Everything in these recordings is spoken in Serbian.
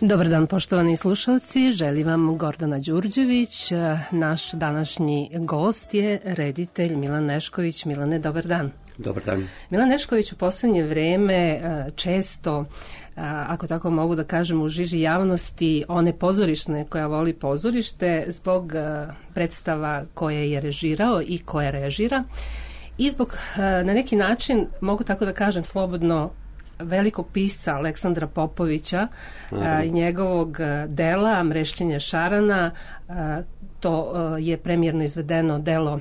Dobar dan, poštovani slušalci, želi vam Gordana Đurđević. Naš današnji gost je reditelj Milan Nešković. Milane, dobar dan. Dobar dan. Milan Nešković u poslednje vreme često, ako tako mogu da kažem, u žiži javnosti one pozorišne koja voli pozorište zbog predstava koje je režirao i koje režira i zbog na neki način, mogu tako da kažem slobodno, velikog pisca Aleksandra Popovića i njegovog dela Mrešćenje šarana. To je premijerno izvedeno delo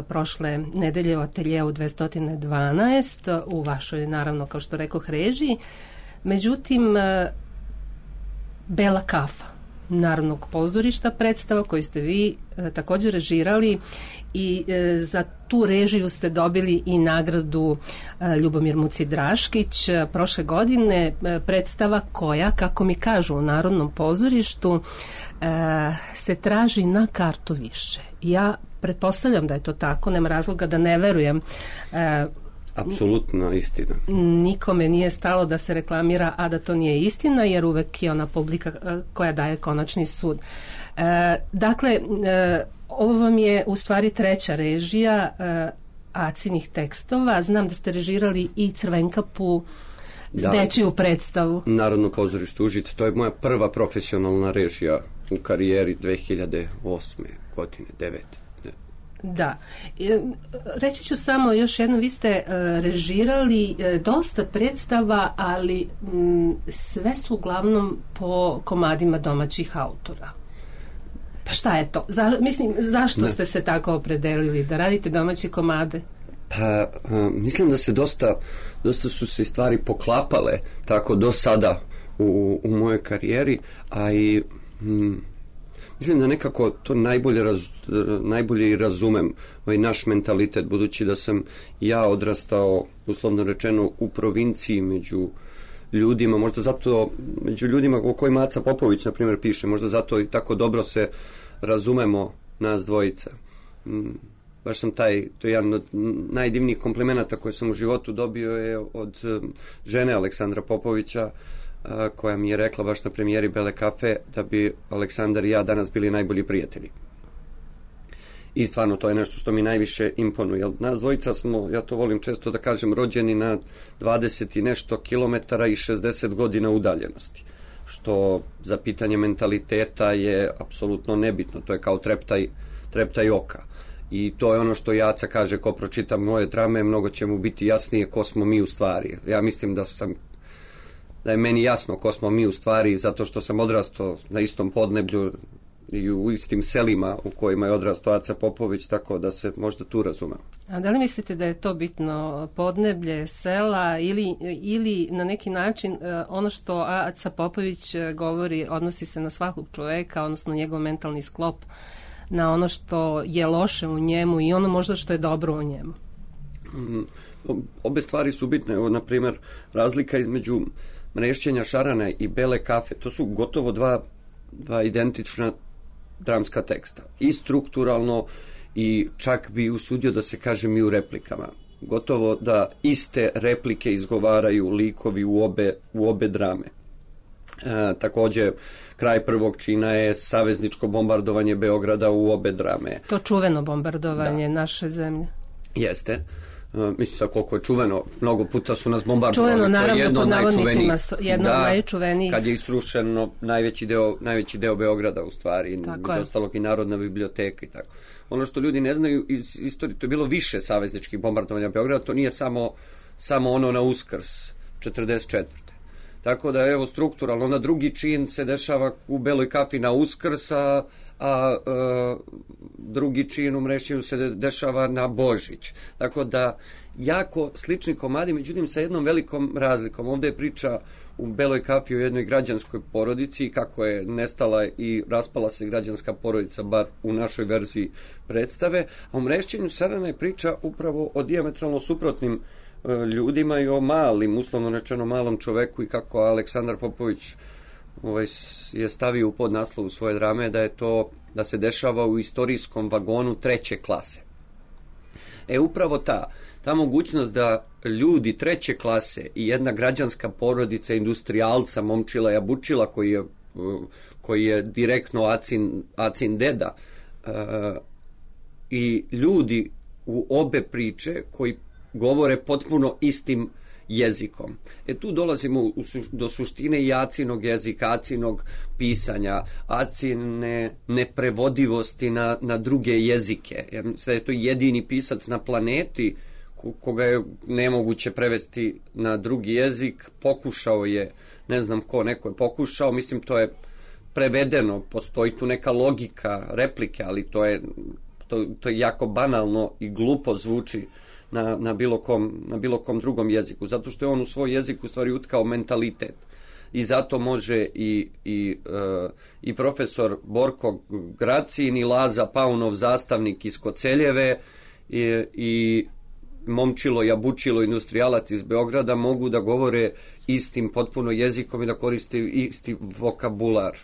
prošle nedelje u ateljeu 212 u vašoj, naravno, kao što rekoh, režiji. Međutim, Bela kafa Narodnog pozorišta, predstava koju ste vi također režirali i za tu režiju ste dobili i nagradu Ljubomir Muci Draškić prošle godine, predstava koja, kako mi kažu u Narodnom pozorištu, se traži na kartu više. Ja pretpostavljam da je to tako, nema razloga da ne verujem. Apsolutno istina. Nikome nije stalo da se reklamira, a da to nije istina, jer uvek je ona publika koja daje konačni sud. Dakle, ovo vam je u stvari treća režija Acinih tekstova. Znam da ste režirali i Crvenkapu, dečiju predstavu. Narodno pozorište Užice, to je moja prva profesionalna režija u karijeri 2008. godine, 9. Da. Reći ću samo još jedno, vi ste režirali dosta predstava, ali sve su uglavnom po komadima domaćih autora. Šta je to? Zašto ste se tako opredelili da radite domaće komade? Pa, mislim da se dosta su se stvari poklapale tako do sada u mojoj karijeri, a i mislim da nekako to najbolje i razumem ovaj naš mentalitet, budući da sam ja odrastao, uslovno rečeno, u provinciji među ljudima, možda zato među ljudima o kojima Aca Popović, na primjer, piše, možda zato i tako dobro se razumemo nas dvojica. Baš sam to je jedan od najdivnijih komplimenata koje sam u životu dobio je od žene Aleksandra Popovića, koja mi je rekla baš na premijeri Bele kafe da bi Aleksandar i ja danas bili najbolji prijatelji. I stvarno to je nešto što mi najviše imponuje. Jer nas dvojica smo, ja to volim često da kažem, rođeni na 20 i nešto kilometara i 60 godina udaljenosti. Što za pitanje mentaliteta je apsolutno nebitno. To je kao treptaj oka. I to je ono što Jaca kaže, ko pročita moje drame, mnogo će mu biti jasnije ko smo mi u stvari. Ja mislim da je meni jasno ko smo mi u stvari, zato što sam odrastao na istom podneblju i u istim selima u kojima je odrastao Aca Popović, tako da se možda tu razumem. A da li mislite da je to bitno, podneblje, sela ili na neki način ono što Aca Popović govori odnosi se na svakog čoveka, odnosno njegov mentalni sklop, na ono što je loše u njemu i ono možda što je dobro u njemu? Obe stvari su bitne. Evo, na primjer, razlika između Mrešćenja šarana i Bele kafe, to su gotovo dva identična dramska teksta. I strukturalno, i čak bi usudio da se kažem i u replikama. Gotovo da iste replike izgovaraju likovi u obe drame. Takođe, kraj prvog čina je savezničko bombardovanje Beograda u obe drame. To čuveno bombardovanje naše zemlje. Jeste. Mislim sad koliko je čuveno, mnogo puta su nas bombardovali. Čuveno, naravno, pod navodnicima, jedno od najčuvenijih. Kad je isrušeno najveći deo Beograda, u stvari, među ostalog i Narodna biblioteka i tako. Ono što ljudi ne znaju iz istorije, to je bilo više savezničkih bombardovanja Beograda, to nije samo ono na Uskrs 44. Tako da, evo, strukturalno, onda drugi čin se dešava u Beloj kafi na Uskrs, a drugi čin u Mrešćenju se dešava na Božić. Tako da, jako slični komadi, međutim sa jednom velikom razlikom. Ovdje je priča u Beloj kafi o jednoj građanskoj porodici, kako je nestala i raspala se građanska porodica, bar u našoj verziji predstave, a u Mrešćenju šarana je priča upravo o dijametralno suprotnim ljudima i o malim, uslovno rečeno malom čoveku, i kako Aleksandar Popović je stavio u podnaslovu svoje drame da se dešava u istorijskom vagonu treće klase. Upravo ta mogućnost da ljudi treće klase i jedna građanska porodica industrijalca Momčila Jabučila, koji je koji je direktno Acin deda, i ljudi u obe priče koji govore potpuno istim jezikom. Tu dolazimo do suštine i Acinog jezika, Acinog pisanja, Acine neprevodivosti na druge jezike. Jer da je to jedini pisac na planeti koga je nemoguće prevesti na drugi jezik. Pokušao je, ne znam ko, neko je pokušao, mislim to je prevedeno, postoji tu neka logika replike, ali to je jako banalno i glupo zvuči na bilo kom drugom jeziku, zato što je on u svoj jezik u stvari utkao mentalitet. I zato može i profesor Borko Gracin i Laza Paunov, zastavnik iz Koceljeve, i Momčilo Jabučilo, industrijalac iz Beograda, mogu da govore istim potpuno jezikom i da koriste isti vokabular.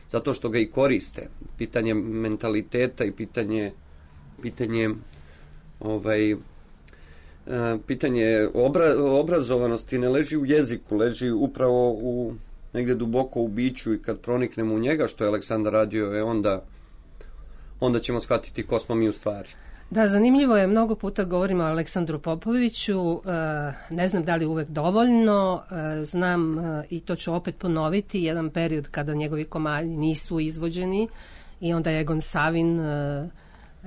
Zato što ga i koriste. Pitanje mentaliteta i pitanje obrazovanosti ne leži u jeziku, leži upravo negde duboko u biću, i kad proniknemo u njega, što je Aleksandar radio, onda ćemo shvatiti ko smo mi u stvari. Da, zanimljivo je, mnogo puta govorimo o Aleksandru Popoviću, ne znam da li uvek dovoljno, znam i to ću opet ponoviti, jedan period kada njegovi komadi nisu izvođeni i onda je Egon Savin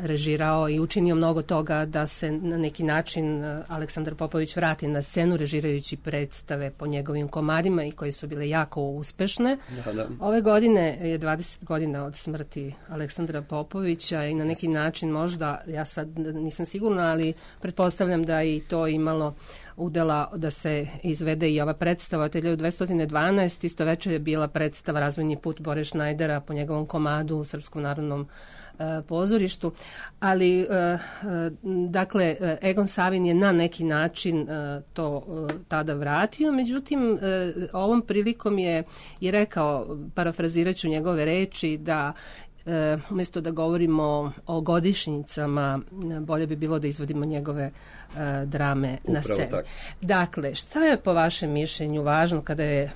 režirao i učinio mnogo toga da se na neki način Aleksandar Popović vrati na scenu, režirajući predstave po njegovim komadima i koje su bile jako uspešne. Da. Ove godine je 20 godina od smrti Aleksandra Popovića i na neki način možda, ja sad nisam sigurna, ali pretpostavljam da i to imalo udela da se izvede i ova predstava od 1212. Isto večer je bila predstava Razvojni put Bore Šnajdera po njegovom komadu u Srpskom narodnom pozorištu, ali dakle Egon Savin je na neki način to tada vratio, međutim ovom prilikom je i rekao, parafraziraću njegove reči, da umjesto da govorimo o godišnjicama, bolje bi bilo da izvodimo njegove drame na sceni. Dakle, šta je po vašem mišljenju važno kada je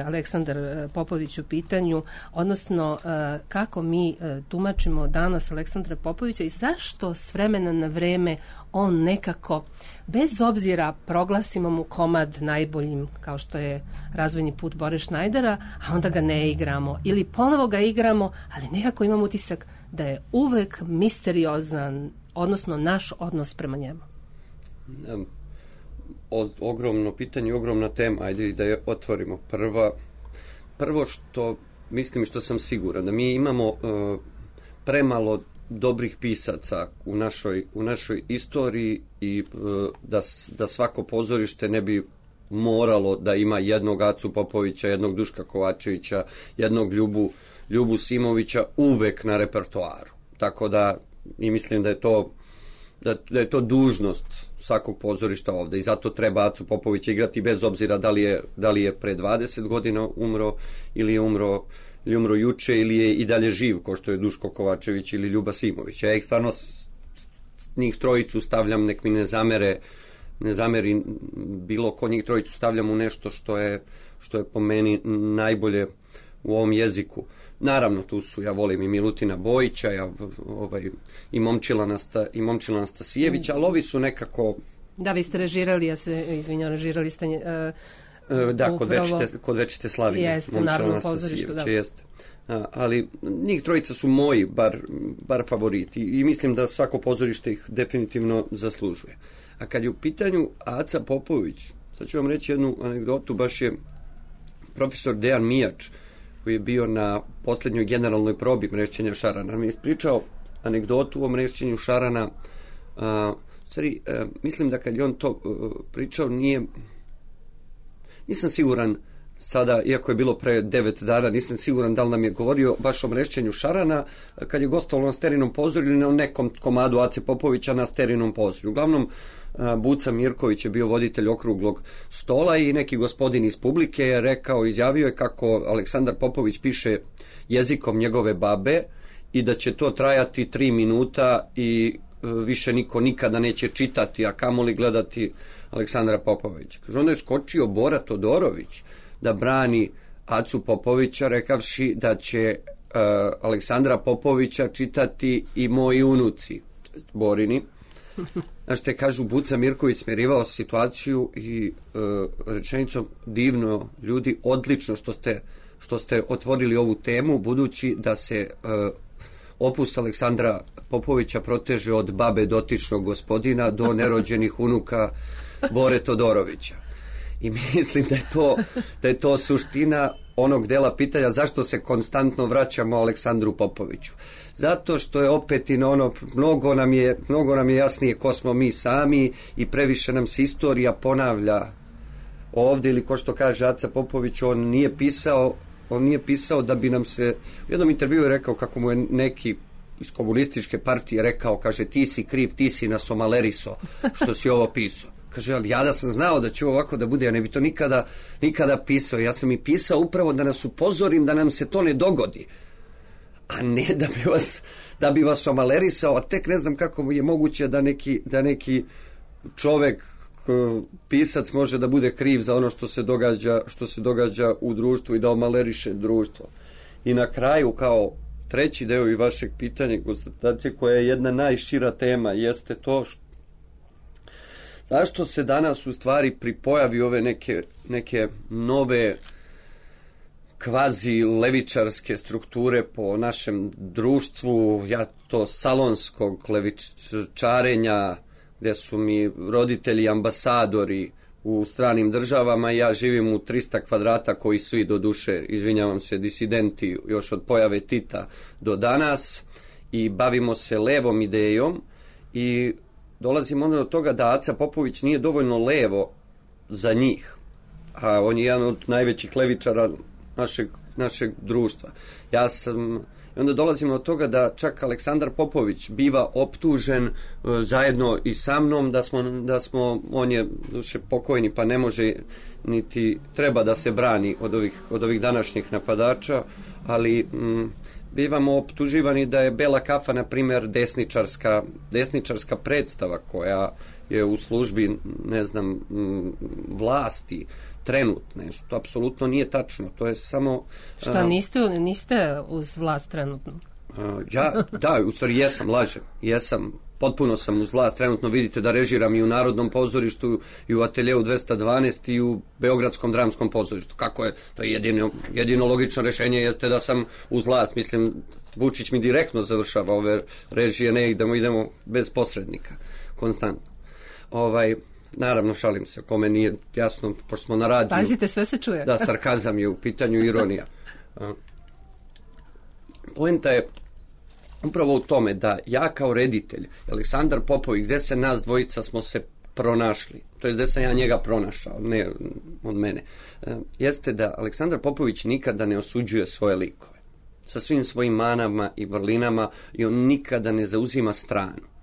Aleksandar Popović u pitanju, odnosno kako mi tumačimo danas Aleksandra Popovića i zašto s vremena na vreme on nekako, bez obzira proglasimo mu komad najboljim, kao što je Razvojni put Bore Šnajdera, a onda ga ne igramo ili ponovo ga igramo, ali nekako imam utisak da je uvek misteriozan, odnosno naš odnos prema njemu. Ogromno pitanje, ogromna tema, ajde da je otvorimo. Prvo što mislim, što sam siguran, da mi imamo premalo dobrih pisaca u našoj istoriji, i da svako pozorište ne bi moralo da ima jednog Acu Popovića, jednog Duška Kovačevića, jednog Ljubu Simovića uvek na repertoaru. Tako da i mislim da je to dužnost svakog pozorišta ovde, i zato treba Acu Popovića igrati bez obzira da li je pre 20 godina umro ili je umro juče, ili je i dalje živ, kao što je Duško Kovačević ili Ljuba Simović. Ja stvarno njih trojicu stavljam, nek mi ne zameri bilo ko, njih trojicu stavljam u nešto što je po meni najbolje u ovom jeziku. Naravno, tu su, ja volim i Milutina Bojića, i Momčila Nastasijevića, ali ovi su nekako... Da, vi ste režirali, ja se izvinjam, režirali ste... Da, kod Večite Slavine. Jeste, u Narodnom pozorištu, da. Jeste. Ali njih trojica su moji bar favoriti, i mislim da svako pozorište ih definitivno zaslužuje. A kad je u pitanju Aca Popović, sad ću vam reći jednu anegdotu, baš je profesor Dejan Mijač, koji je bio na posljednjoj generalnoj probi Mrešćenja Šarana, mi je ispričao anegdotu o Mrešćenju Šarana. Mislim da kad je on to pričao, nisam siguran sada, iako je bilo pre 9 dana, nisam siguran da li nam je govorio baš o Mrešćenju Šarana, kad je gostovalo na Sterinom pozorju ili na nekom komadu Ace Popovića na Sterinom pozorju. Uglavnom, Buca Mirković je bio voditelj okruglog stola i neki gospodin iz publike je izjavio je kako Aleksandar Popović piše jezikom njegove babe i da će to trajati 3 minuta i više niko nikada neće čitati, a kamoli gledati Aleksandra Popovića. Kaže, onda je skočio Bora Todorović da brani Acu Popovića rekavši da će Aleksandra Popovića čitati i moji unuci Borini. Znaš te kažu, Buca Mirković smirivao situaciju i rečenicom divno ljudi, odlično što ste otvorili ovu temu, budući da se opus Aleksandra Popovića proteže od babe dotičnog gospodina do nerođenih unuka Bore Todorovića. I mislim da je to suština onog dela pitanja zašto se konstantno vraćamo Aleksandru Popoviću. Zato što je opet i ono, mnogo nam je jasnije ko smo mi sami i previše nam se istorija ponavlja ovdje, ili ko što kaže Aca Popović, on nije pisao da bi nam se, u jednom intervju je rekao kako mu je neki iz komunističke partije rekao, kaže, ti si kriv, ti si nas omaleriso što si ovo pisao. Kaže, ali ja da sam znao da će ovako da bude, ja ne bi to nikada pisao. Ja sam i pisao upravo da nas upozorim da nam se to ne dogodi, a ne da bi vas omalerisao, a tek ne znam kako je moguće da neki čovek, pisac, može da bude kriv za ono što se događa u društvu i da omaleriše društvo. I na kraju, kao treći deo i vašeg pitanja, konstatacije, koja je jedna najšira tema, jeste to zašto se danas u stvari pripojavi ove neke nove kvazi levičarske strukture po našem društvu, ja to salonskog levičarenja, gde su mi roditelji ambasadori u stranim državama, ja živim u 300 kvadrata koji svi, do duše, izvinjavam se, disidenti još od pojave Tita do danas, i bavimo se levom idejom i dolazimo onda do toga da Aca Popović nije dovoljno levo za njih, a on je jedan od najvećih levičara našeg društva. I onda dolazimo do toga da čak Aleksandar Popović biva optužen zajedno i sa mnom on je duše pokojni pa ne može niti treba da se brani od ovih današnjih napadača, ali bivamo optuživani da je Bela kafa, na primjer, desničarska predstava koja je u službi, ne znam, vlasti trenutne, što apsolutno nije tačno. To je samo... Šta, niste uz vlast trenutno? Da, u stvari jesam, potpuno sam uz vlast trenutno. Vidite da režiram i u Narodnom pozorištu i u Ateljeu 212 i u Beogradskom dramskom pozorištu. Kako je? To je jedino logično rešenje jeste da sam uz vlast. Mislim, Vučić mi direktno završava ove režije, ne idemo bez posrednika, konstantno. Naravno, šalim se, kome nije jasno, pošto smo na radiju. Pazite, sve se čuje. Da, sarkazam je u pitanju, ironija. Poenta je upravo u tome da ja kao reditelj, Aleksandar Popović, gde se nas dvojica smo se pronašli, to je gde sam ja njega pronašao, ne od mene, jeste da Aleksandar Popović nikada ne osuđuje svoje likove. Sa svim svojim manama i vrlinama, i on nikada ne zauzima stranu.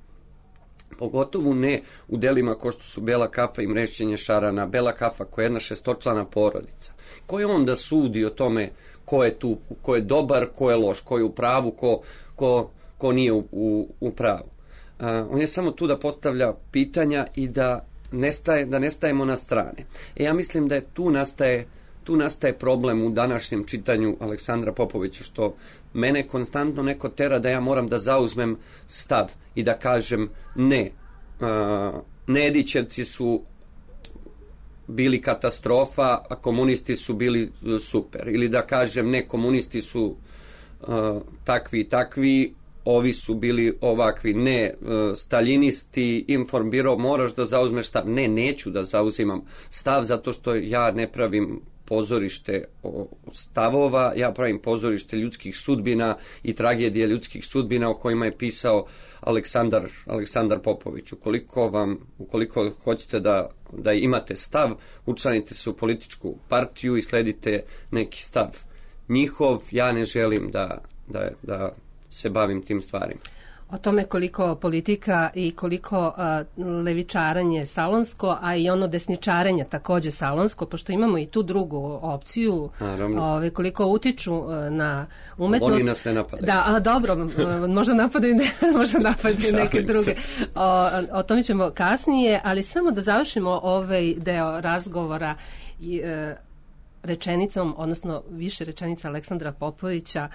Pogotovo ne u delima kao što su Bela kafa i Mrešćenje šarana. Bela kafa koja je jedna 6-člana porodica. Ko je on da sudi o tome ko je tu, ko je dobar, ko je loš, ko je u pravu, ko nije u pravu. On je samo tu da postavlja pitanja i da ne stajemo na strane. Ja mislim da tu nastaje problem u današnjem čitanju Aleksandra Popovića, što mene konstantno neko tera da ja moram da zauzmem stav i da kažem ne, Nedićevci su bili katastrofa, a komunisti su bili super. Ili da kažem ne, komunisti su takvi i takvi, ovi su bili ovakvi. Ne, staljinisti, Informbiro, moraš da zauzmeš stav. Ne, neću da zauzimam stav zato što ja ne pravim pozorište stavova, ja pravim pozorište ljudskih sudbina i tragedije ljudskih sudbina o kojima je pisao Aleksandar Popović. Ukoliko hoćete da imate stav, učlanite se u političku partiju i sledite neki stav njihov. Ja ne želim da se bavim tim stvarima. O tome koliko politika i koliko levičaranje salonsko, a i ono desničarenje takođe salonsko, pošto imamo i tu drugu opciju, koliko utiču na umetnost. Oni nas ne napadaju. Da, dobro, možda napadaju neke druge. O tome ćemo kasnije, ali samo da završimo ovaj deo razgovora. rečenicom, odnosno više rečenica Aleksandra Popovića,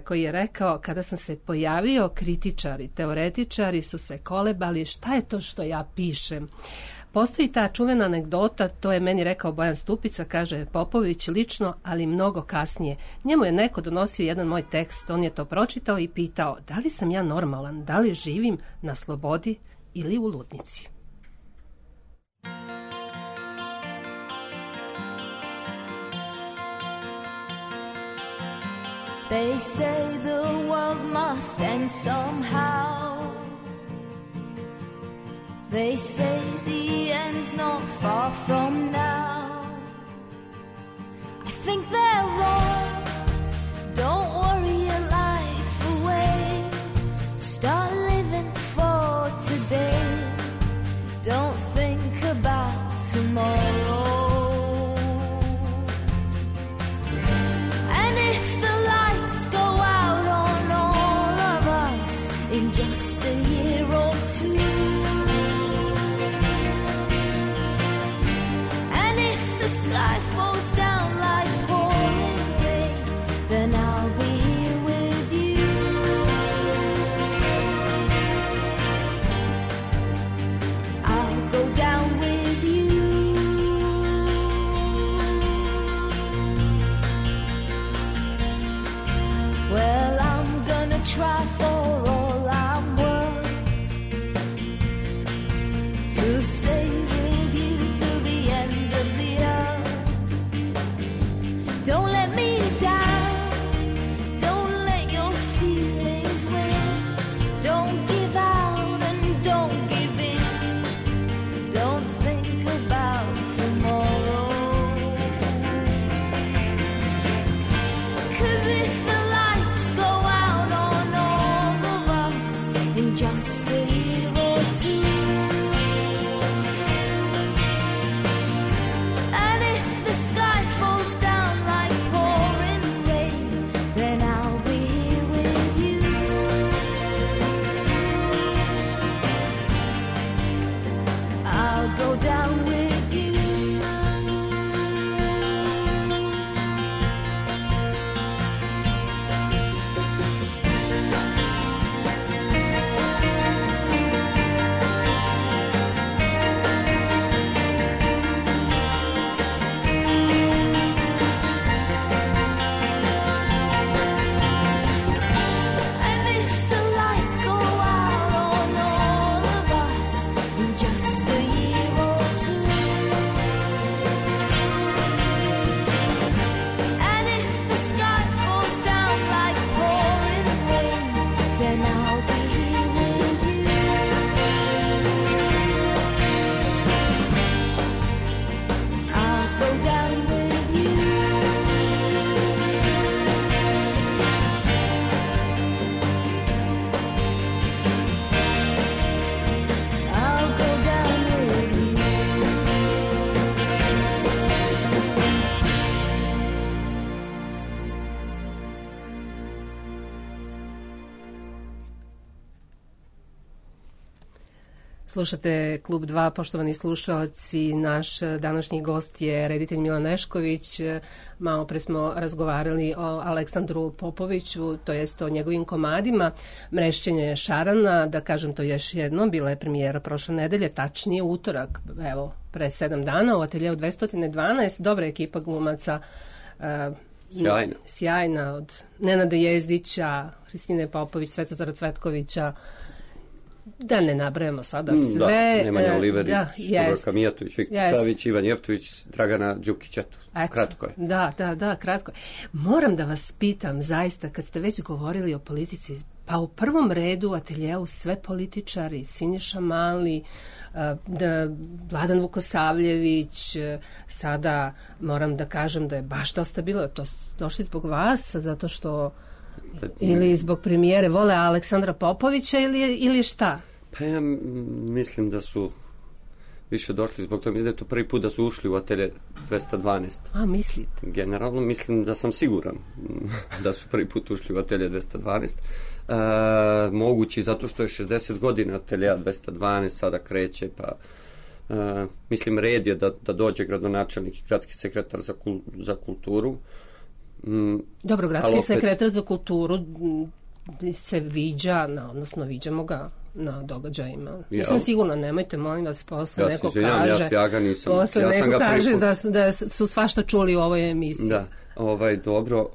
koji je rekao: kada sam se pojavio, kritičari, teoretičari su se kolebali, šta je to što ja pišem. Postoji ta čuvena anegdota, to je meni rekao Bojan Stupica, kaže Popović lično, ali mnogo kasnije. Njemu je neko donosio jedan moj tekst, on je to pročitao i pitao: da li sam ja normalan, da li živim na slobodi ili u ludnici. They say the world must end somehow. They say the end's not far from now. I think they're wrong. Don't worry your life away. Start living for today. Don't think about tomorrow. In just a year or two, and if the sky falls down like pouring rain, then I'll be here with you. I'll go down with you. Well, I'm gonna try for to stay with you till the end of the earth. Don't let me down. Don't let your feelings win. Don't give out and don't give in. Don't think about tomorrow. 'Cause if the lights go out on all of us in just a year or two, go down with you. And if the lights go out on all of us in just a year or two, and if the sky falls down like pouring rain, then I'll be here with you. I'll go down with you. I'll go down with you. Slušate Klub 2, poštovani slušalci. Naš današnji gost je reditelj Milan Nešković. Malo pre smo razgovarali o Aleksandru Popoviću, to jest o njegovim komadima. Mrešćenje šarana, da kažem to još jednom, bila je premijera prošle nedelje, tačnije utorak, evo, pre 7 dana u ateljeu 212. Dobra ekipa glumaca. Sjajna, od Nenada Jezdića, Hristine Popović, Svetozara Cvetkovića, da ne nabrajamo sada sve. Da, Nemanja Oliverić, Dubravka Mijatović, Viktor Savić, Ivan Jeftović, Dragana Đukić, eto, kratko je. Da, kratko je. Moram da vas pitam, zaista, kad ste već govorili o politici, pa u prvom redu u ateljeu sve političari, Siniša Mali, Vladan Vukosavljević, sada moram da kažem da je baš dosta bilo, to došli zbog vas, zato što ili zbog premijere vole Aleksandra Popovića ili šta? Pa ja mislim da su više došli zbog toga, mislim da je to prvi put da su ušli u atelje 212. A, mislite? Generalno mislim da sam siguran da su prvi put ušli u atelje 212. Mogući zato što je 60 godina ateljeja 212 sada kreće, pa mislim, red je da dođe gradonačelnik i gradski sekretar za kulturu. Dobro, gradski sekretar za kulturu se viđa, odnosno viđamo ga na događajima. Nisam sigurna, nemojte, molim vas, posle neko kaže, da su svašta čuli u ovoj emisiji. Da, dobro,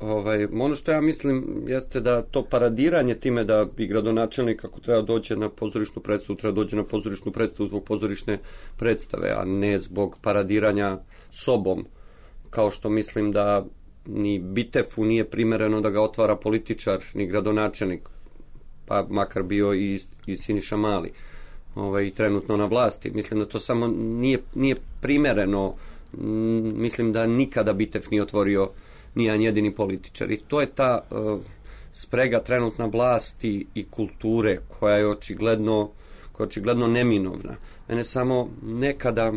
ono što ja mislim jeste da to paradiranje time da bi gradonačelnik, ako treba dođe na pozorišnu predstavu, treba dođe na pozorišnu predstavu zbog pozorišne predstave, a ne zbog paradiranja sobom, kao što mislim da ni Bitefu nije primereno da ga otvara političar, ni gradonačelnik, pa makar bio i Siniša Mali, i trenutno na vlasti. Mislim da to samo nije primereno. Mislim da nikada Bitef nije otvorio nijedan jedini političar. I to je ta sprega trenutna vlasti i kulture koja je očigledno neminovna. Mene samo nekada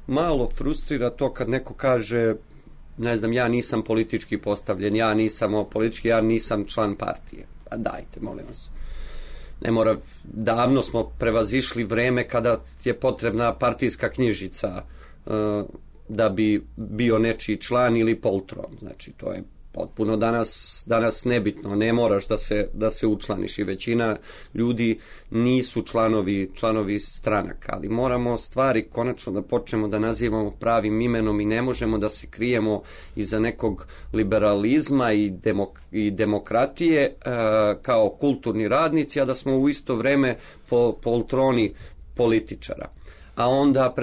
malo frustrira to kad neko kaže, ne znam, ja nisam politički postavljen, ja nisam član partije. Pa dajte, molim vas. Ne mora, davno smo prevazišli vreme kada je potrebna partijska knjižica da bi bio nečiji član ili poltron. Znači, to je potpuno danas nebitno. Ne moraš da se učlaniš i većina ljudi nisu članovi stranaka, ali moramo stvari konačno da počnemo da nazivamo pravim imenom i ne možemo da se krijemo iza nekog liberalizma i demokratije kao kulturni radnici, a da smo u isto vreme poltroni političara. A onda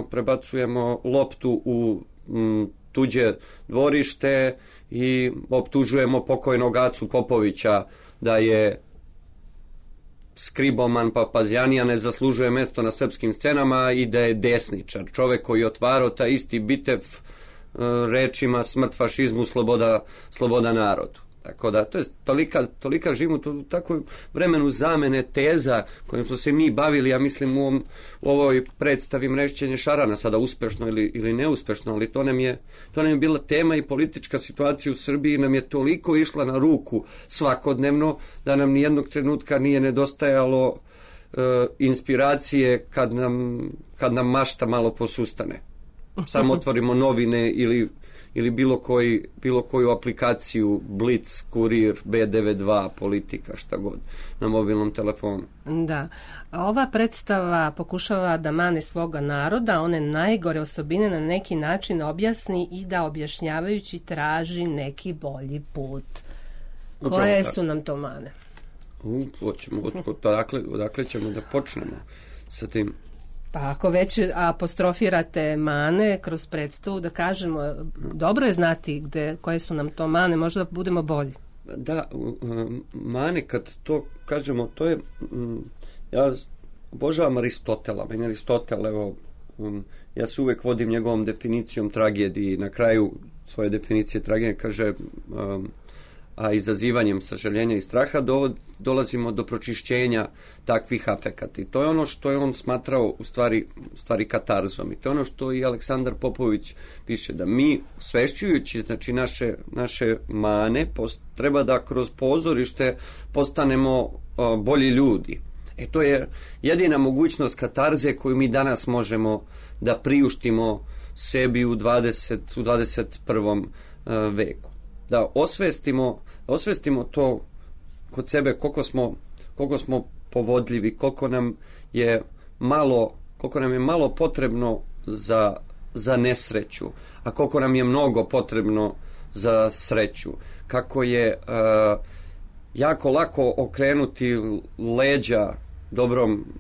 prebacujemo loptu u tuđe dvorište i optužujemo pokojnog Acu Popovića da je skriboman, papazjanija, ne zaslužuje mesto na srpskim scenama i da je desničar. Čovek koji je otvarao taj isti Bitef rečima smrt fašizmu, sloboda narodu. Tako da, to je tolika živimo u takvom vremenu zamene teza kojim smo se mi bavili, ja mislim, u ovoj predstavi Mrešćenje šarana, sada uspešno ili neuspešno, ali to nam je bila tema i politička situacija u Srbiji nam je toliko išla na ruku svakodnevno da nam nijednog trenutka nije nedostajalo inspiracije kad nam mašta malo posustane. Samo otvorimo novine ili bilo koju aplikaciju, Blic, Kurir, B92, Politika, šta god, na mobilnom telefonu. Da. Ova predstava pokušava da mane svoga naroda, one najgore osobine na neki način objasni i da objašnjavajući traži neki bolji put. Koje su nam to mane? Odakle ćemo da počnemo sa tim? Pa ako već apostrofirate mane kroz predstavu, da kažemo, dobro je znati koje su nam to mane, možda budemo bolji. Da, mane, kad to kažemo, to je, ja obožavam Aristotela, meni Aristotel, ja se uvek vodim njegovom definicijom tragediji, na kraju svoje definicije tragedije kaže, a izazivanjem sažaljenja i straha dolazimo do pročišćenja takvih afekata. I to je ono što je on smatrao u stvari katarzom. I to je ono što i Aleksandar Popović piše, da mi osvešćujući znači naše mane treba da kroz pozorište postanemo bolji ljudi. To je jedina mogućnost katarze koju mi danas možemo da priuštimo sebi u 21. veku. Da osvestimo to kod sebe koliko smo povodljivi, koliko nam je malo potrebno za nesreću, a koliko nam je mnogo potrebno za sreću. Kako je jako lako okrenuti leđa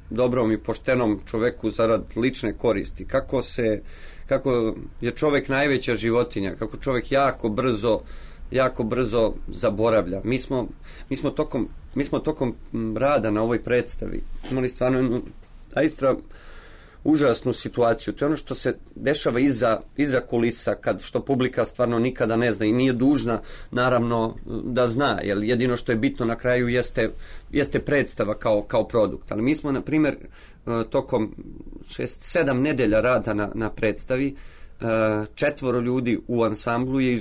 dobrom i poštenom čoveku zarad lične koristi. Kako je čovek najveća životinja, kako čovek jako brzo zaboravlja. Mi smo tokom rada na ovoj predstavi imali stvarno jednu zaista užasnu situaciju. To je ono što se dešava iza kulisa, što publika stvarno nikada ne zna i nije dužna naravno da zna, jer jedino što je bitno na kraju jeste predstava kao produkt. Ali mi smo, na primjer, tokom 6-7 nedelja rada na predstavi, 4 ljudi u ansamblu je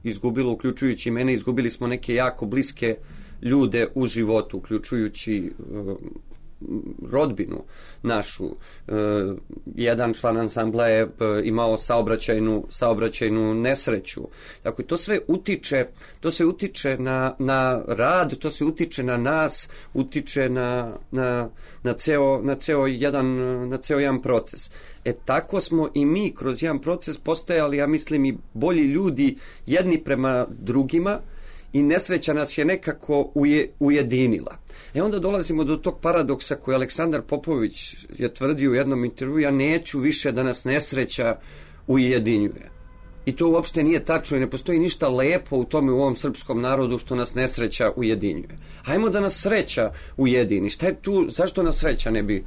izgubilo, uključujući mene, izgubili smo neke jako bliske ljude u životu, uključujući rodbinu našu. Jedan član ansambla je imao saobraćajnu nesreću. Dakle, to sve utiče na rad, to se utiče na nas, utiče na ceo jedan proces. Tako smo i mi kroz jedan proces postajali, ja mislim, i bolji ljudi jedni prema drugima, i nesreća nas je nekako ujedinila. Onda dolazimo do tog paradoksa koji Aleksandar Popović je tvrdio u jednom intervju: ja neću više da nas nesreća ujedinjuje. I to uopšte nije tačno i ne postoji ništa lepo u tome u ovom srpskom narodu što nas nesreća ujedinjuje. Hajmo da nas sreća ujedini. Šta je tu, zašto nas sreća ne bi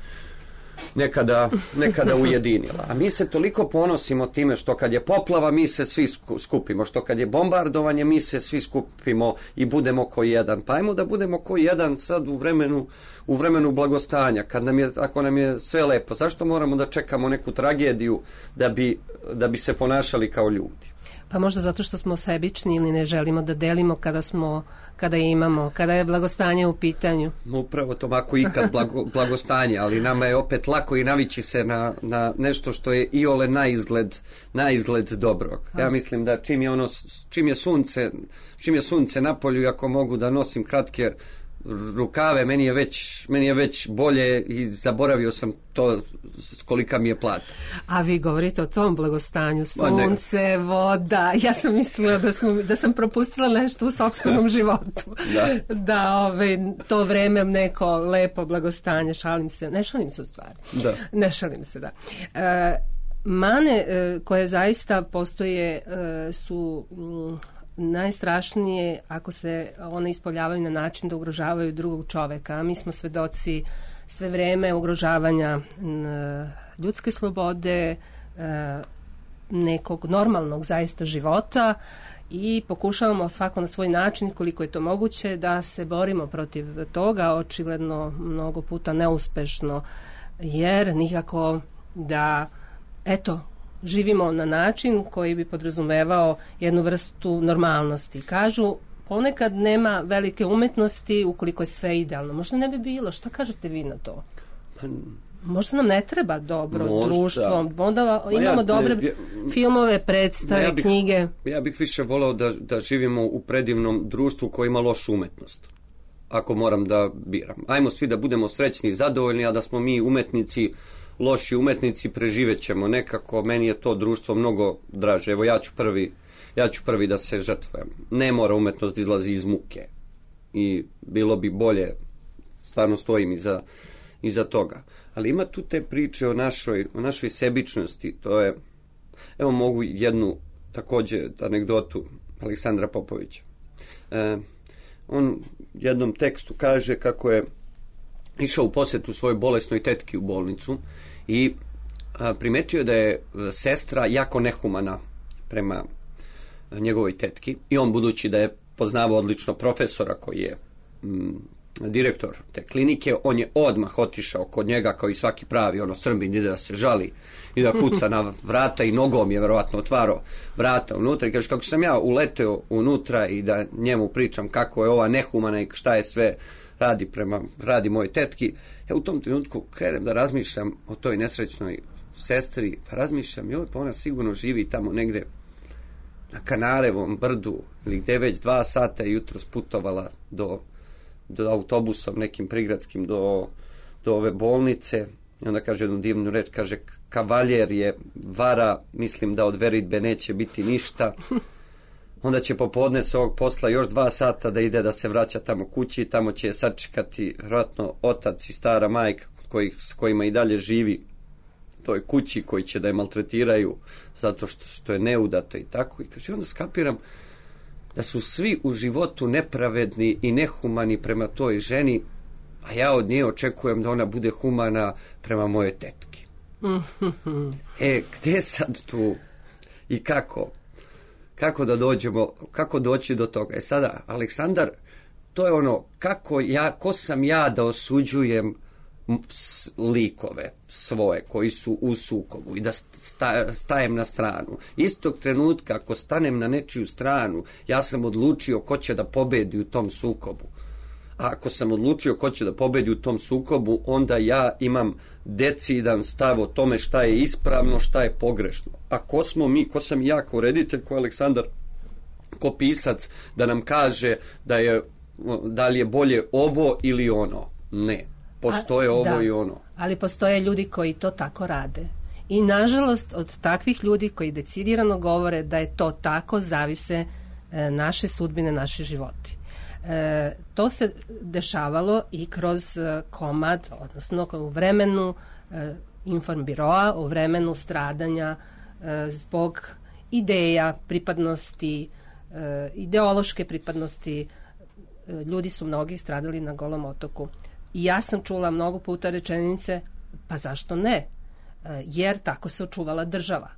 nekada ujedinila? A mi se toliko ponosimo time što kad je poplava mi se svi skupimo, što kad je bombardovanje mi se svi skupimo i budemo ko jedan. Pa ajmo da budemo ko jedan sad u vremenu blagostanja, ako nam je sve lepo. Zašto moramo da čekamo neku tragediju da bi se ponašali kao ljudi? Pa možda zato što smo sebični ili ne želimo da delimo kada je blagostanje u pitanju. Upravo to, ako ikad blagostanje, ali nama je opet lako i navići se na nešto što je iole na izgled dobrog. Ja mislim da čim je sunce na polju, ako mogu da nosim kratke rukave, meni je već bolje i zaboravio sam to kolika mi je plata. A vi govorite o tom blagostanju, sunce, voda. Ja sam mislila da sam propustila nešto u sopstvenom životu. Da to vreme neko lepo blagostanje, ne šalim se u stvari. Da. Ne šalim se, da. Mane koje zaista postoje su najstrašnije ako se one ispoljavaju na način da ugrožavaju drugog čoveka. A mi smo svedoci sve vreme ugrožavanja ljudske slobode, nekog normalnog zaista života, i pokušavamo svako na svoj način, koliko je to moguće, da se borimo protiv toga, očigledno mnogo puta neuspešno, jer nikako da živimo na način koji bi podrazumevao jednu vrstu normalnosti. Kažu, ponekad nema velike umetnosti ukoliko je sve idealno. Možda ne bi bilo. Šta kažete vi na to? Možda nam ne treba dobro društvo. Onda imamo dobre filmove, predstave, knjige. Ja bih više voleo da živimo u predivnom društvu koje ima lošu umetnost. Ako moram da biram. Ajmo svi da budemo srećni i zadovoljni, a da smo mi umetnici, loši umetnici, preživet ćemo nekako. Meni je to društvo mnogo draže. Evo, ja ću prvi da se žrtvujem. Ne mora umetnost izlazi iz muke. I bilo bi bolje, stvarno stojim iza toga. Ali ima tu te priče o našoj sebičnosti. To je, evo mogu jednu također anegdotu Aleksandra Popovića. On u jednom tekstu kaže kako je išao u posjetu svojoj bolesnoj tetki u bolnicu i primetio je da je sestra jako nehumana prema njegovoj tetki, i on, budući da je poznavao odlično profesora koji je direktor te klinike, on je odmah otišao kod njega kao i svaki pravi Srbin, ide da se žali i da kuca na vrata, i nogom je verovatno otvarao vrata unutra i kaže, kako sam ja uleteo unutra i da njemu pričam kako je ova nehumana i šta je sve radi moje tetki. Ja u tom trenutku krenem da razmišljam o toj nesrećnoj sestri, pa razmišljam, pa ona sigurno živi tamo negde na Kanarevom brdu ili gde već 2 sata jutro sputovala do autobusom nekim prigradskim do ove bolnice, i onda kaže jednu divnu reč, kaže, kavaljer je vara, mislim da od veritbe neće biti ništa. Onda će popodne s ovog posla još 2 sata da ide da se vraća tamo kući, tamo će je sačekati vjerojatno otac i stara majka s kojima i dalje živi u toj kući, koji će da je maltretiraju zato što je neudata i tako. I kaže, onda skapiram da su svi u životu nepravedni i nehumani prema toj ženi, a ja od nje očekujem da ona bude humana prema moje tetki. Gde sad tu i kako da dođemo, kako doći do toga? Sada, Aleksandar, to je ono, ko sam ja da osuđujem likove svoje koji su u sukobu i da stajem na stranu. Istog trenutka, ako stanem na nečiju stranu, ja sam odlučio ko će da pobedi u tom sukobu. a ako sam odlučio ko će da pobedi u tom sukobu, onda ja imam decidan stav o tome šta je ispravno, šta je pogrešno. A ko smo mi, ko sam ja kao reditelj, ko Aleksandar, ko pisac, da nam kaže da li je bolje ovo ili ono? Ne. Postoje ovo i ono. Ali postoje ljudi koji to tako rade. I nažalost od takvih ljudi koji decidirano govore da je to tako, zavise naše sudbine, naši životi. To se dešavalo i kroz komad, odnosno u vremenu Informbiroa, u vremenu stradanja zbog ideja, pripadnosti, ideološke pripadnosti. Ljudi su mnogi stradali na Golom otoku. I ja sam čula mnogo puta rečenice, pa zašto ne? Jer tako se očuvala država.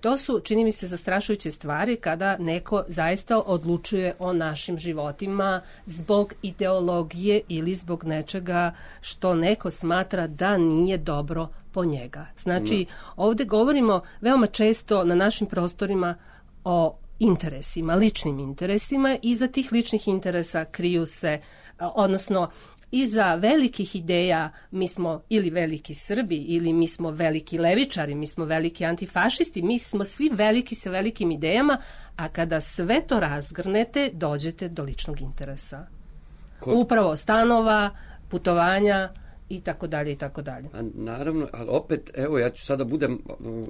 To su, čini mi se, zastrašujuće stvari kada neko zaista odlučuje o našim životima zbog ideologije ili zbog nečega što neko smatra da nije dobro po njega. Znači, ovdje govorimo veoma često na našim prostorima o interesima, ličnim interesima. Iza tih ličnih interesa kriju se, odnosno iza velikih ideja mi smo ili veliki Srbi, ili mi smo veliki levičari, mi smo veliki antifašisti, mi smo svi veliki sa velikim idejama, a kada sve to razgrnete, dođete do ličnog interesa. Upravo stanova, putovanja i tako dalje i tako dalje. Naravno, ali opet, evo, ja ću sada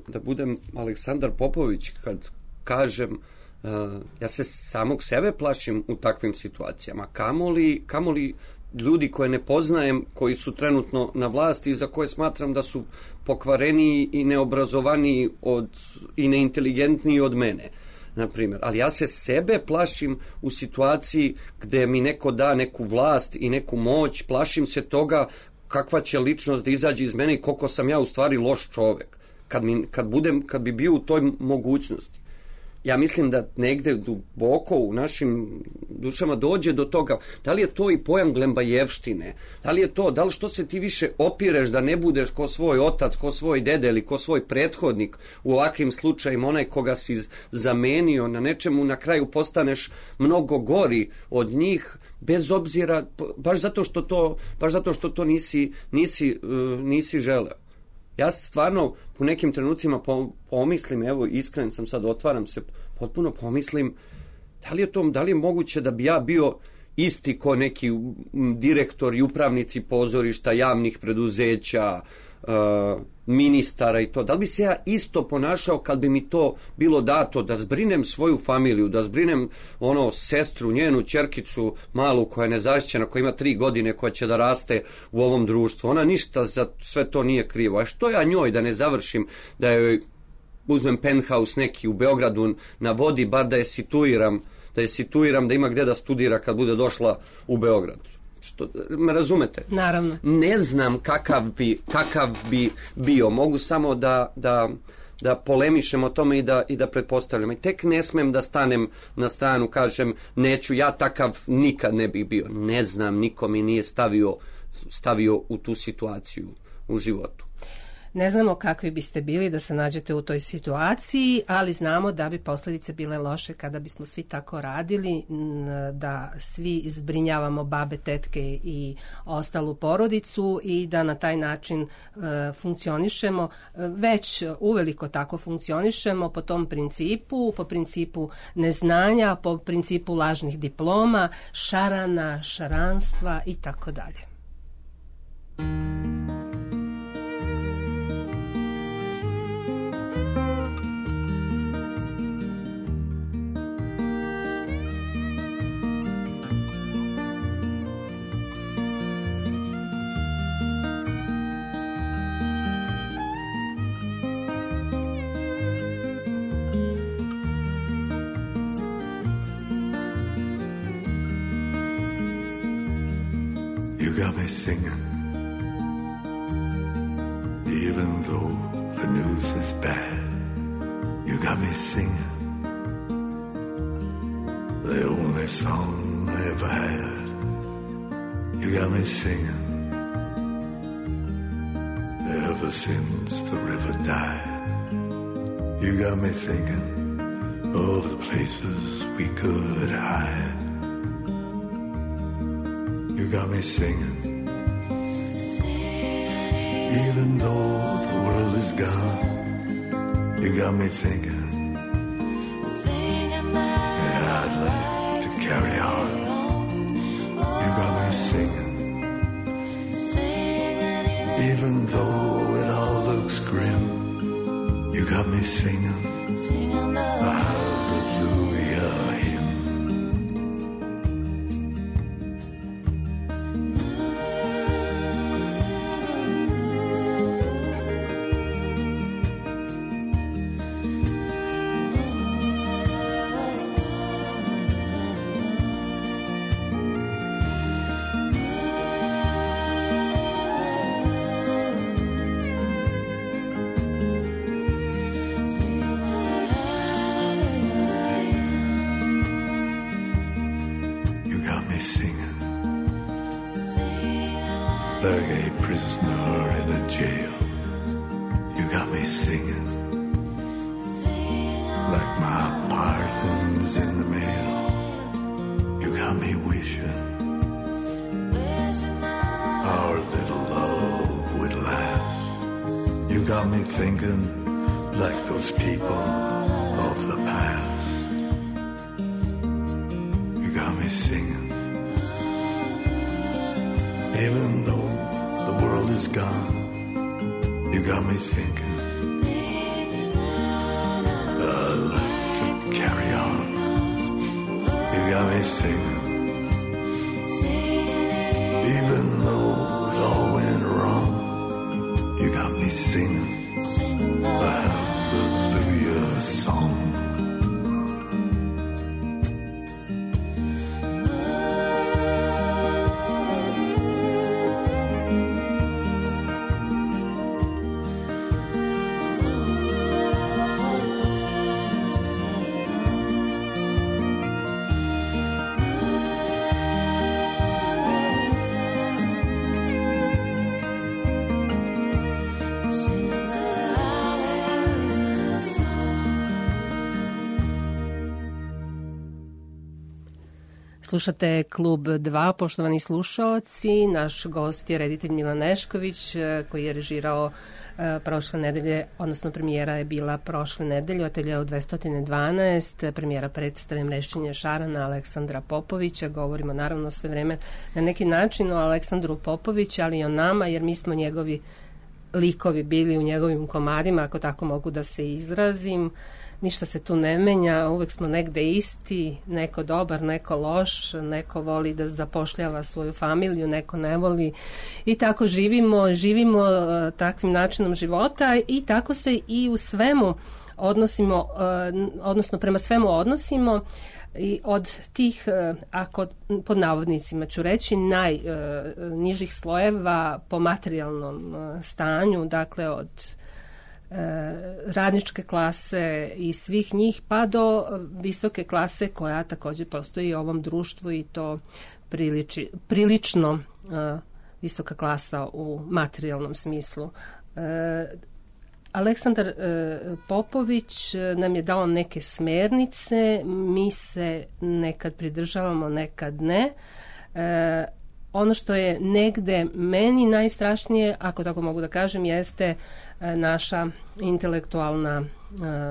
da budem Aleksandar Popović kad kažem, ja se samog sebe plašim u takvim situacijama. Kamoli ljudi koje ne poznajem, koji su trenutno na vlasti i za koje smatram da su pokvareniji i neobrazovaniji i neinteligentniji od mene, na primjer. Ali ja se sebe plašim u situaciji gde mi neko da neku vlast i neku moć, plašim se toga kakva će ličnost da izađe iz mene i koliko sam ja u stvari loš čovek. Kad bi bio u toj mogućnosti. Ja mislim da negde duboko u našim dušama dođe do toga, da li je to i pojam glembajevštine, da li je to, da li što se ti više opireš da ne budeš ko svoj otac, ko svoj dede ili ko svoj prethodnik, u ovakvim slučajima onaj koga si zamenio na nečemu, na kraju postaneš mnogo gori od njih, bez obzira, baš zato što to nisi želeo. Ja stvarno u nekim trenucima pomislim, evo iskren sam sad, otvaram se, potpuno pomislim da li je moguće da bi ja bio isti ko neki direktor i upravnici pozorišta, javnih preduzeća, ministara i to. Da li bi se ja isto ponašao kad bi mi to bilo dato, da zbrinem svoju familiju, da zbrinem sestru, njenu ćerkicu malu koja je nezaštićena, koja ima 3 godine, koja će da raste u ovom društvu. Ona ništa za sve to nije krivo. A što ja njoj da ne završim, da joj uzmem penthouse neki u Beogradu na vodi, bar da je situiram, da ima gde da studira kad bude došla u Beograd. Što, me razumete? Naravno. Ne znam kakav bi bio. Mogu samo da polemišem o tome i da pretpostavljam. I tek ne smem da stanem na stranu, kažem, neću, ja takav nikad ne bih bio. Ne znam, niko mi nije stavio u tu situaciju u životu. Ne znamo kakvi biste bili da se nađete u toj situaciji, ali znamo da bi posljedice bile loše kada bismo svi tako radili, da svi zbrinjavamo babe, tetke i ostalu porodicu i da na taj način funkcionišemo. Već uveliko tako funkcionišemo po tom principu, po principu neznanja, po principu lažnih diploma, šarana, šaranstva i tako dalje. You got me singing, even though the news is bad. You got me singing, the only song I ever had. You got me singing, ever since the river died. You got me thinking of the places we could hide. You got me singing. Even though the world is gone, you got me thinking. Yeah, I'd like to carry on. You got me singing. Even though it all looks grim, you got me singing. A hallelujah hymn. Like a prisoner in a jail, you got me singing. Like my pardons in the mail, you got me wishing our little love would last. You got me thinking like those people of the past. You got me singing. Even though the world is gone, you got me thinking. I'd like to carry on. You got me singing. Even though it all went wrong, you got me singing a hallelujah song. Slušate Klub 2, poštovani slušaoci. Naš gost je reditelj Milan Nešković, koji je režirao prošle nedelje, odnosno premijera je bila prošle nedelje, Ateljeo 212, premijera predstave Mrešćenje šarana Aleksandra Popovića. Govorimo naravno sve vreme na neki način o Aleksandru Popoviću, ali i o nama, jer mi smo njegovi likovi bili u njegovim komadima, ako tako mogu da se izrazim. Ništa se tu ne menja, uvek smo negde isti, neko dobar, neko loš, neko voli da zapošljava svoju familiju, neko ne voli i tako živimo takvim načinom života i tako se i u svemu odnosimo, odnosno prema svemu odnosimo i od tih, ako pod navodnicima ću reći, najnižih slojeva po materijalnom stanju, dakle od radničke klase i svih njih pa do visoke klase koja također postoji u ovom društvu i to prilično visoka klasa u materijalnom smislu. Aleksandar Popović nam je dao neke smernice, mi se nekad pridržavamo, nekad ne. Ono što je negde meni najstrašnije, ako tako mogu da kažem, jeste naša intelektualna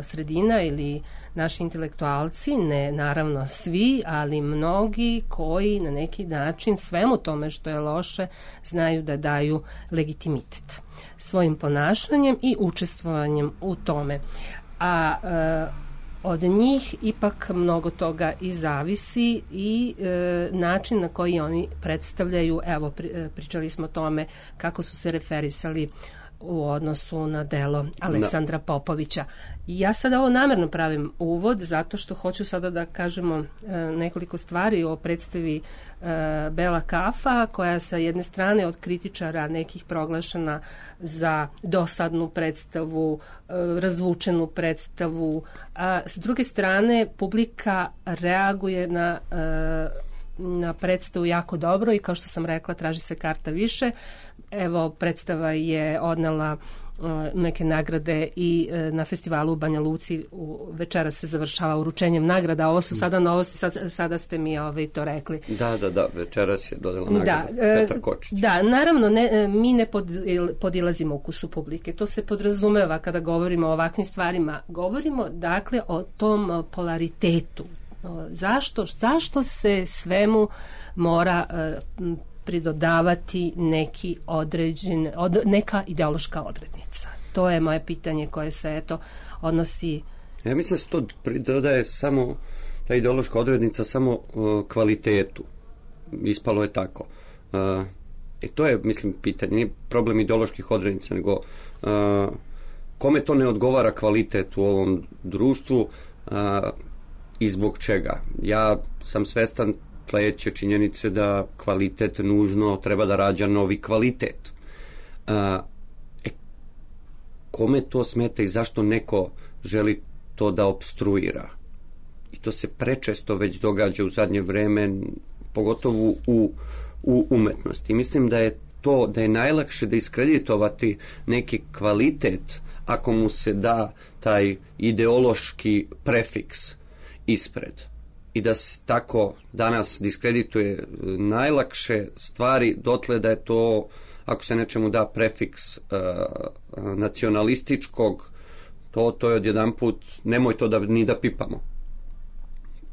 sredina ili naši intelektualci, ne naravno svi, ali mnogi koji na neki način svemu tome što je loše znaju da daju legitimitet svojim ponašanjem i učestvovanjem u tome. A od njih ipak mnogo toga i zavisi i način na koji oni predstavljaju, evo pričali smo o tome kako su se referisali u odnosu na delo Aleksandra Popovića. Ja sada ovo namerno pravim uvod zato što hoću sada da kažemo nekoliko stvari o predstavi Bela kafa, koja sa jedne strane od kritičara nekih proglašena za dosadnu predstavu, razvučenu predstavu, a s druge strane publika reaguje na predstavu jako dobro i kao što sam rekla traži se karta više. Evo, predstava je odnela neke nagrade i na festivalu u Banja Luci večera se završava uručenjem nagrada. Ovo su sada novosti, sada ste mi to rekli. Da, večeras je dodala nagrada Petar Kočić. Da, naravno, mi ne podilazimo ukusu publike. To se podrazumeva kada govorimo o ovakvim stvarima. Govorimo, dakle, o tom polaritetu. Zašto se svemu mora pridodavati neka ideološka odrednica? To je moje pitanje koje se odnosi. Ja mislim da se to pridodaje samo, ta ideološka odrednica, samo kvalitetu. Ispalo je tako. To je, mislim, pitanje. Nije problem ideoloških odrednica, nego kome to ne odgovara kvalitet u ovom društvu i zbog čega. Ja sam svestan sledeće činjenice da kvalitet nužno treba da rađa novi kvalitet. Kome to smeta i zašto neko želi to da opstruira? I to se prečesto već događa u zadnje vreme, pogotovo u umetnosti. Mislim da je najlakše da iskreditovati neki kvalitet ako mu se da taj ideološki prefiks ispred. I da se tako danas diskredituje najlakše stvari dotle da je to, ako se nečemu da prefiks nacionalističkog, to je odjedanput, nemoj to ni da pipamo.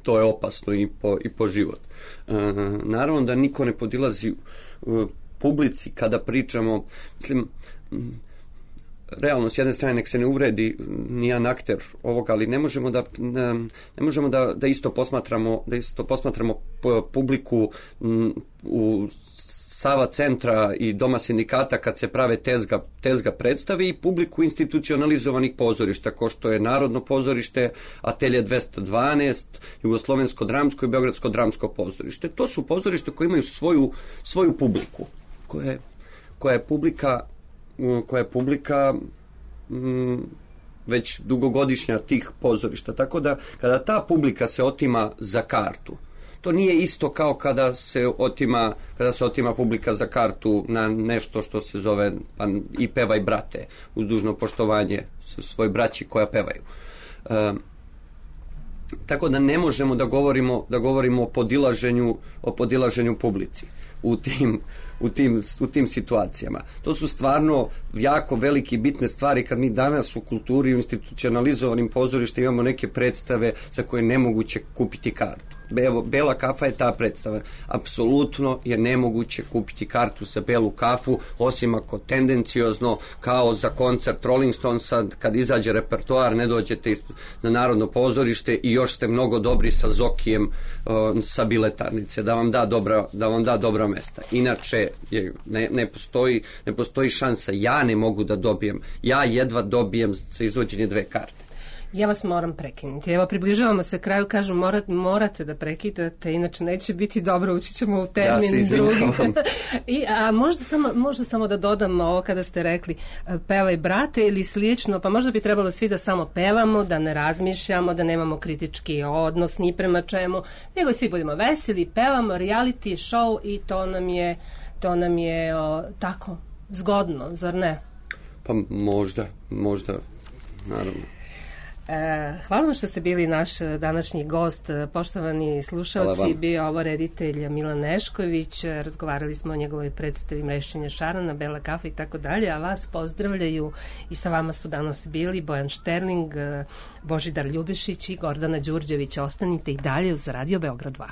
To je opasno i po život. Naravno da niko ne podilazi publici kada pričamo, mislim, realno, s jedne strane, nek se ne uvredi nijedan akter ovoga, ali ne možemo da isto posmatramo publiku u Sava centra i Doma sindikata kad se prave tezga predstave i publiku institucionalizovanih pozorišta, ko što je Narodno pozorište, Atelje 212, Jugoslovensko dramsko i Beogradsko dramsko pozorište. To su pozorište koje imaju svoju publiku, koja je publika već dugogodišnja tih pozorišta. Tako da kada ta publika se otima za kartu, to nije isto kao kada se otima publika za kartu na nešto što se zove i pevaj brate, uz dužno poštovanje svoj braći koja pevaju. Tako da ne možemo da govorimo o podilaženju publici u tim situacijama. To su stvarno jako velike i bitne stvari kad mi danas u kulturi, u institucionalizovanim pozorištima imamo neke predstave za koje je nemoguće kupiti kartu. Bela kafa je ta predstava. Apsolutno je nemoguće kupiti kartu za Belu kafu, osim ako tendenciozno, kao za koncert Rolling Stonesa, kad izađe repertoar, ne dođete na Narodno pozorište i još ste mnogo dobri sa Zokijem sa biletarnice, da vam da dobra mesta. Inače, ne postoji šansa. Ja ne mogu da dobijem. Ja jedva dobijem za izvođenje 2 karte. Ja vas moram prekinuti. Evo, približavamo se kraju, kažu morate da prekidate, inače neće biti dobro, ući ćemo u termin drugi. A možda samo da dodam ovo kada ste rekli pevaj brate ili slično, pa možda bi trebalo svi da samo pevamo, da ne razmišljamo, da nemamo kritički odnos ni prema čemu, nego svi budemo veseli, pevamo, reality show i to nam je tako zgodno, zar ne? Pa možda, naravno. Hvala vam što ste bili naš današnji gost, poštovani slušalci. Bio ovo reditelj Milan Nešković, razgovarali smo o njegovoj predstavi Mrešćenje šarana, Bela kafa i tako dalje, a vas pozdravljaju i sa vama su danas bili Bojan Šterling, Božidar Ljubišić i Gordana Đurđević. Ostanite i dalje uz Radio Beograd 2.